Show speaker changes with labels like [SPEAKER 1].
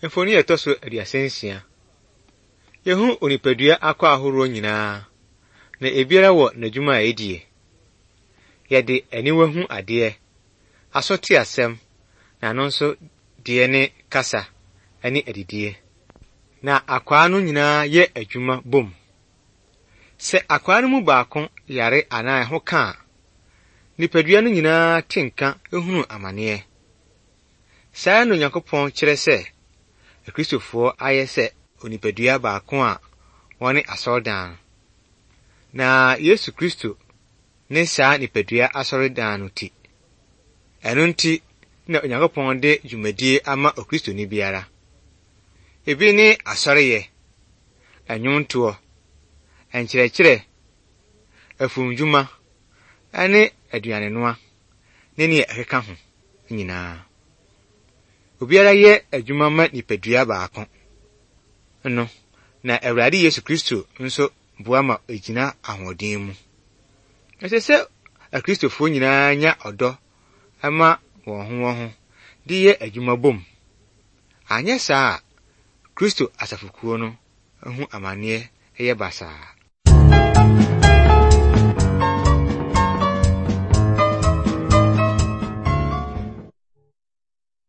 [SPEAKER 1] Mfoni a ɛtɔ so 36. Yehu onipadua akwaa ahoroɔ nyinaa, na ebiara wɔ n'adwuma a edie. Yɛde aniwa hu adeɛ, aso te asɛm, na ano nso deɛ ne kasa ne adidie. Na akwaa no nyinaa yɛ adwuma bom. Sɛ akwaa no mu baako yare anaa ɛho ka a, nipadua no nyinaa te nka hunu amaneɛ. Saa ara na Onyankopɔn kyerɛ sɛ Akristofoɔ ayɛ sɛ onipadua baako a wɔne asɔredan no. Na Yesu Kristo ne saa nipadua asɔredan no ti. Ɛno nti na Onyankopɔn de dwumadie ama Okristoni biara. Ebi ne asɔreyɛ, nnwontoɔ, nkyerɛkyerɛ, afumdwuma, ne aduanenoa, ne nea ɛkeka ho nyinaa. Obiara yɛ adwuma ma nipadua baako no, na Awurade Yesu Kristo nso boa ma egyina ahoɔden mu. Ɛsɛ sɛ Akristofoɔ nyinaa nya ɔdɔ ma wɔn ho wɔn ho de yɛ adwuma bom. Anyɛ saa a, Kristo asafokuo no ho amanneɛ yɛ basaa.